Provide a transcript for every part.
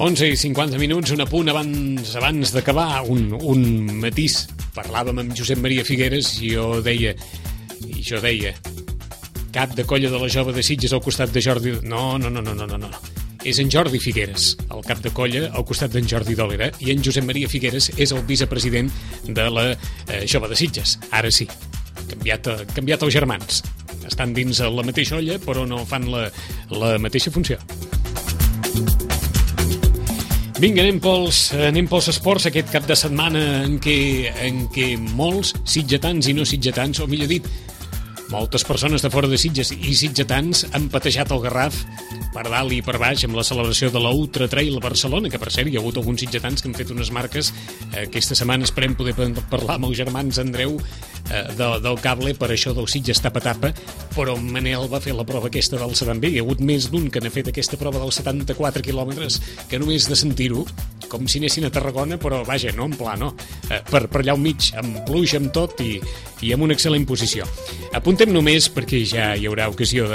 11:50, un apunt abans d'acabar, un matís. Parlàvem amb Josep Maria Figueres i jo deia, cap de colla de la Jove de Sitges al costat de Jordi... No. És en Jordi Figueres, el cap de colla, al costat d'en Jordi Dòlera, i en Josep Maria Figueres és el vicepresident de la Jove de Sitges. Ara sí, canviat els germans. Estan dins la mateixa olla, però no fan la mateixa funció. Vinga, anem pels esports aquest cap de setmana en què molts sitgetans i no sitgetans, o millor dit, moltes persones de fora de Sitges i sitgetans han patejat el Garraf per dalt i per baix amb la celebració de la Ultra Trail a Barcelona, que per cert hi ha hagut alguns sitgetans que han fet unes marques. Aquesta setmana esperem poder parlar amb els germans Andreu del cable per això del Sitges tapa-tapa, però Manel va fer la prova aquesta del 70. Hi ha hagut més d'un que n'ha fet aquesta prova dels 74 quilòmetres, que només de sentir-ho, com si anessin a Tarragona, però vaja, no en pla, no. Per allà al mig, amb pluja, amb tot i amb una excel·lent posició. Apuntem només, perquè ja hi haurà ocasió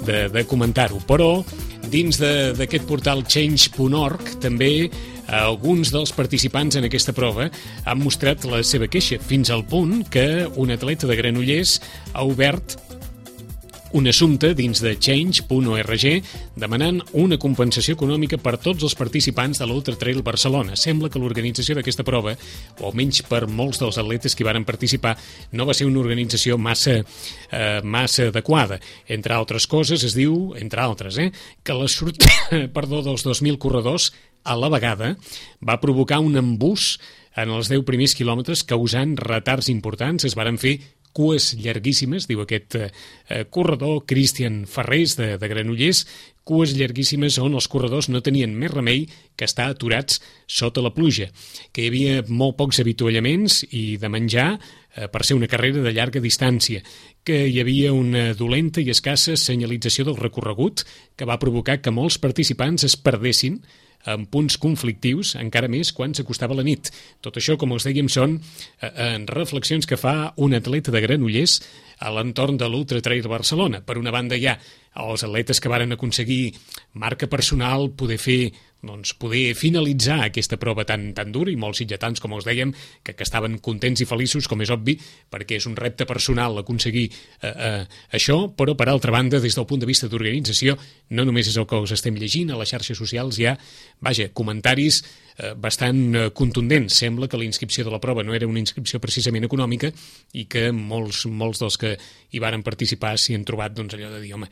de comentar-ho, però dins d'aquest portal change.org també alguns dels participants en aquesta prova han mostrat la seva queixa, fins al punt que un atleta de Granollers ha obert un assumpte dins de change.org demanant una compensació econòmica per tots els participants de l'Ultra Trail Barcelona. Sembla que l'organització d'aquesta prova, o almenys per molts dels atletes que hi varen participar, no va ser una organització massa adequada. Entre altres coses, es diu, entre altres, que la sortida dels 2.000 corredors a la vegada va provocar un embús en els 10 primers quilòmetres, causant retards importants. Es varen fer cues llarguíssimes, diu aquest corredor Cristian Ferrés de Granollers, cues llarguíssimes on els corredors no tenien més remei que estar aturats sota la pluja, que hi havia molt pocs avituallaments i de menjar per ser una carrera de llarga distància, que hi havia una dolenta i escassa senyalització del recorregut que va provocar que molts participants es perdessin en punts conflictius, encara més quan s'acostava la nit. Tot això, com us dèiem, són reflexions que fa un atleta de Granollers a l'entorn de l'Ultra Trail Barcelona. Per una banda hi ha els atletes que varen aconseguir marca personal, poder finalitzar aquesta prova tan dura, i molts sitgetans, com us dèiem, que estaven contents i feliços, com és obvi, perquè és un repte personal aconseguir això, però per altra banda, des del punt de vista d'organització, no només és el que us estem llegint, a les xarxes socials hi ha, comentaris bastant contundents. Sembla que la inscripció de la prova no era una inscripció precisament econòmica i que molts dels que hi varen participar s'hi han trobat allò de dir, home,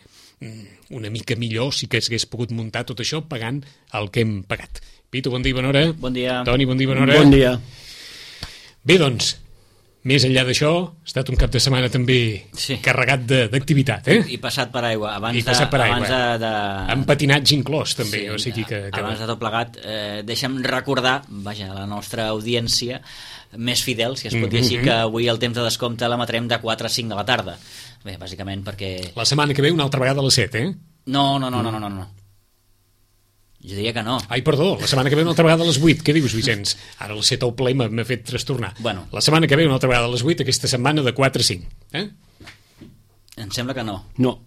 una mica millor si que s'hagués pogut muntar tot això pagant el que hem pagat. Pitu, bon dia i bona hora. Bon dia. Toni, bon dia i bona hora. Bon dia. Bé, doncs, més enllà d'això, ha estat un cap de setmana també carregat d'activitat, I passat per aigua. Amb patinatge inclòs, també. O sigui que abans de tot plegat, deixa'm recordar, la nostra audiència més fidel, si es pot dir així, que avui el temps de descompte l'emetrem de 4 a 5 de la tarda. Bé, bàsicament perquè... La setmana que ve una altra vegada a les 7, No. Jo diria que no. Ai, perdó, la setmana que ve una altra vegada a les 8. Què dius, Vicenç? Ara a les 7 al ple m'ha fet trastornar. Bueno. La setmana que ve una altra vegada a les 8, aquesta setmana de 4 a 5. Em sembla que no. No.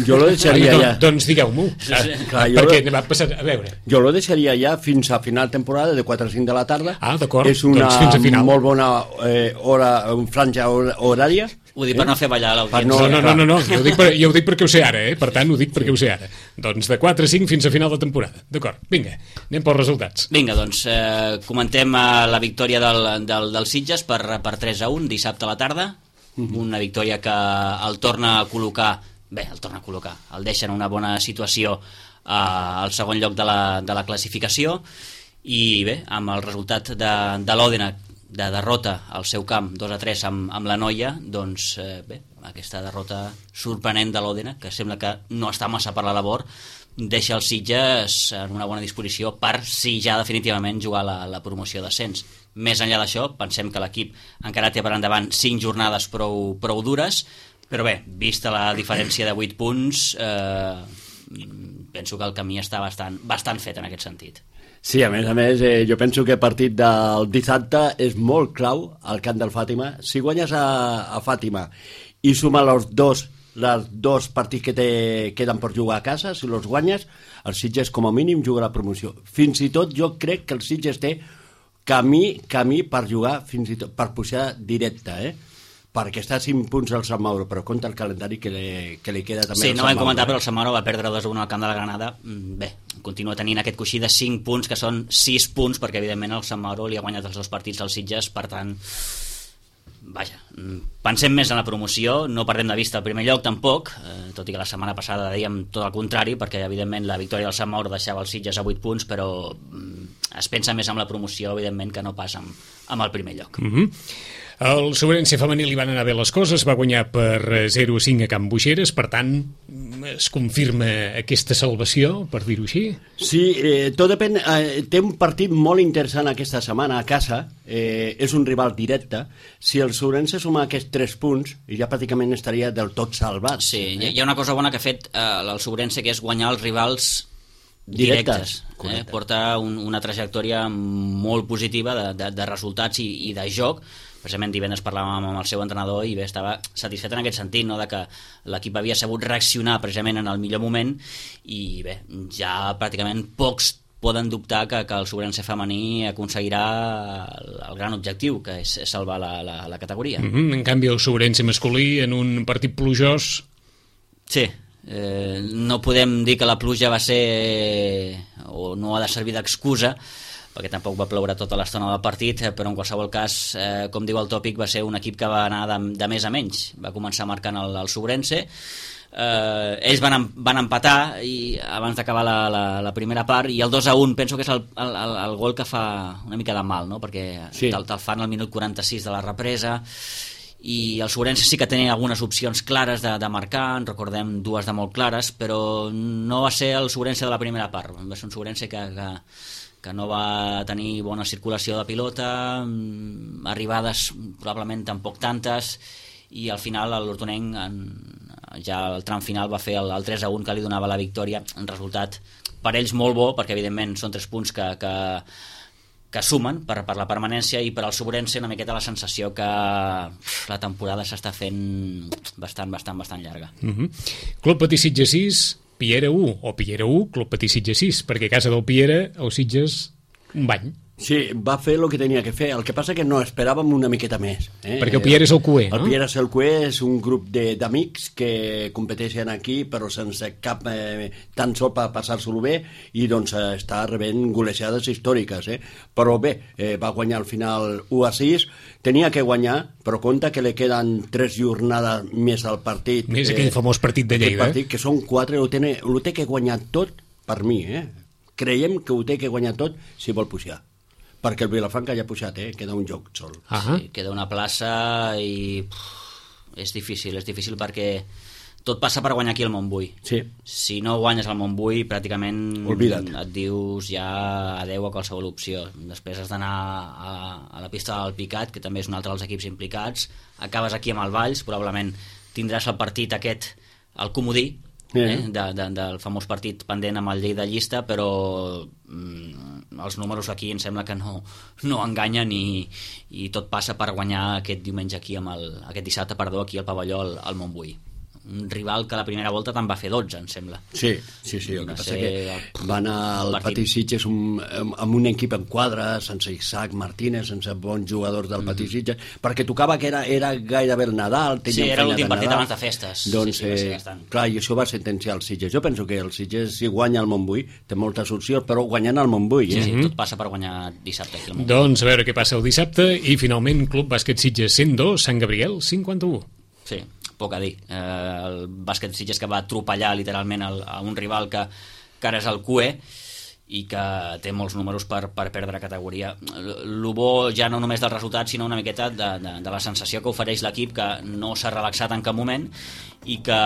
Jo lo deixaria ja. Doncs digueu-m'ho. Perquè va passar... A veure. Jo lo deixaria ja fins a final temporada de 4 a 5 de la tarda. Ah, d'acord. És una molt bona franja horària. Ho dic per no fer ballar l'audiència. No. Jo ho dic perquè ho sé ara, Per tant, ho dic perquè ho sé ara. Doncs de 4 a 5 fins a final de temporada. D'acord, vinga, anem pels resultats. Vinga, doncs, comentem la victòria del Sitges per 3 a 1 dissabte a la tarda. Una victòria que el torna a col·locar, el deixa en una bona situació al segon lloc de la classificació, i bé, amb el resultat de l'Òdena de derrota al seu camp 2 a 3 amb la Noia, doncs bé, aquesta derrota sorprenent de l'Òdena, que sembla que no està massa per la labor, deixa els Sitges en una bona disposició per, si ja definitivament, jugar la promoció d'ascens. Més enllà d'això, pensem que l'equip encara té per endavant 5 jornades prou dures, però bé, vista la diferència de 8 punts, penso que el camí està bastant fet en aquest sentit. Sí, a més, jo penso que el partit del dissabte és molt clau al camp del Fàtima. Si guanyes a Fàtima i suma els 2 els 2 partits que queden per jugar a casa, si els guanyes, el Sitges com a mínim juga la promoció. Fins i tot jo crec que el Sitges té camí per jugar, fins i tot per pujar directe, perquè està a 5 punts al Sant Mauro, però compta el calendari que li queda també. Sí, no ho hem comentat, però el Sant Mauro va perdre 2-1 al camp de la Granada. Bé, continua tenint aquest coixí de 5 punts, que són 6 punts, perquè evidentment el Sant Mauro li ha guanyat els 2 partits al Sitges, per tant, vaja, pensem més en la promoció, no perdem de vista el primer lloc tampoc, tot i que la setmana passada dèiem tot el contrari, perquè evidentment la victòria del Sant Mauro deixava el Sitges a 8 punts, però es pensa més en la promoció, evidentment, que no pas amb el primer lloc. El Sobrense femení li van anar bé les coses, va guanyar per 0-5 a Can Boixeres, per tant, es confirma aquesta salvació, per dir-ho així? Sí, tot depèn. Té un partit molt interessant aquesta setmana a casa, és un rival directe. Si el Sobrense suma aquests 3 punts, ja pràcticament estaria del tot salvat. Sí, hi ha una cosa bona que ha fet el Sobrense, que és guanyar els rivals directes. Porta una trajectòria molt positiva de resultats i de joc. Precisament divendres parlàvem amb el seu entrenador i bé, estava satisfet en aquest sentit, no? De que l'equip havia sabut reaccionar precisament en el millor moment i bé, ja pràcticament pocs poden dubtar que el Sobrense femení aconseguirà el gran objectiu, que és salvar la categoria. En canvi el Sobrense masculí en un partit plujós... Sí, no podem dir que la pluja va ser o no ha de servir d'excusa, perquè tampoc va ploure tota l'estona del partit, però en qualsevol cas, com diu el tòpic, va ser un equip que va anar de més a menys. Va començar marcant el Sobrense, ells van empatar i abans d'acabar la primera part, i el 2-1 penso que és el gol que fa una mica de mal, no? Perquè sí, te'l fan al minut 46 de la represa, i el Sobrense sí que tenia algunes opcions clares de marcar, en recordem 2 de molt clares, però no va ser el Sobrense de la primera part, va ser un Sobrense que no va tenir bona circulació de pilota, arribades probablement tampoc tantes, i al final l'Hortonenc ja al tram final va fer el 3-1 que li donava la victòria, un resultat per ells molt bo, perquè evidentment són 3 punts que sumen per la permanència, i per al Sobrense una miqueta la sensació que la temporada s'està fent bastant llarga. Club Patí Sitges 6, Piera 1, o Piera 1, Club Patí Sitges 6, perquè a casa del Piera el Sitges un bany. Sí, va fer el que tenia que fer. El que passa que no esperàvem una miqueta més. Perquè el Piera és el QE, no? El Piera és el QE, és un grup d'amics que competeixen aquí, però sense cap tan sol per passar-se-lo bé, i doncs està rebent golejades històriques. Però bé, va guanyar al final 1-6, tenia que guanyar, però compta que li queden 3 jornades més al partit. Més aquell famós partit de Lleida. Partit, que són 4, ho té que guanyar tot per mi. Creiem que ho té que guanyar tot si vol pujar. Perquè el Vilafranca ja ha pujat, queda un joc sol. Sí, queda una plaça i és difícil perquè tot passa per guanyar aquí al Montbui. Sí. Si no guanyes al Montbui, pràcticament oblida't. Et dius ja adeu a qualsevol opció. Després has d'anar a la pista del Picat, que també és un altre dels equips implicats. Acabes aquí amb el Valls, probablement tindràs el partit aquest, el comodí, del famós partit pendent amb el Lleida llista, però els números aquí em sembla que no enganyen, i tot passa per guanyar aquest diumenge aquí aquest dissabte, aquí al pavelló al Montbui. Un rival que la primera volta te'n va fer 12, em sembla. Sí, el que passa que va anar al Patí Sitges amb un equip en quadre, sense Isaac Martínez, sense bons jugadors del Patí Sitges, perquè tocava que era gairebé el Nadal. Sí, era l'últim partit abans de festes. Doncs, clar, i això va sentenciar el Sitges. Jo penso que el Sitges, si guanya el Montbui, té moltes opcions, però guanyant el Montbui. Sí, tot passa per guanyar dissabte aquí al Montbui. Doncs a veure què passa el dissabte, i finalment Club Bàsquet Sitges 102, Sant Gabriel 51. Sí, poc a dir. El bàsquet Sitges que va atropellar literalment a un rival que ara és el QE i que té molts números per perdre categoria. El bo ja no només del resultat, sinó una miqueta de la sensació que ofereix l'equip, que no s'ha relaxat en cap moment i que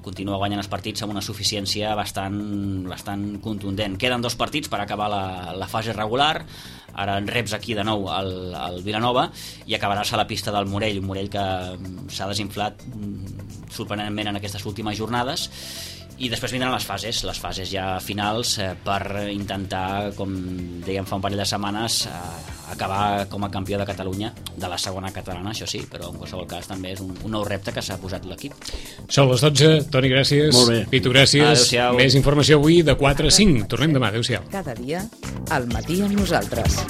continua guanyant els partits amb una suficiència bastant contundent. Queden 2 partits per acabar la fase regular. Ara en reps aquí de nou al Vilanova i acabaràs a la pista del Morell, un Morell que s'ha desinflat sorprenentment en aquestes últimes jornades, I després vindran les fases ja finals per intentar, com dèiem fa un parell de setmanes, acabar com a campió de Catalunya, de la segona catalana, això sí, però en qualsevol cas també és un nou repte que s'ha posat l'equip. Són les 12, Toni, gràcies. Molt bé. Pitu, gràcies. Adéu-siau. Més informació avui de 4 a 5. Tornem demà, adéu-siau. Cada dia, al matí amb nosaltres.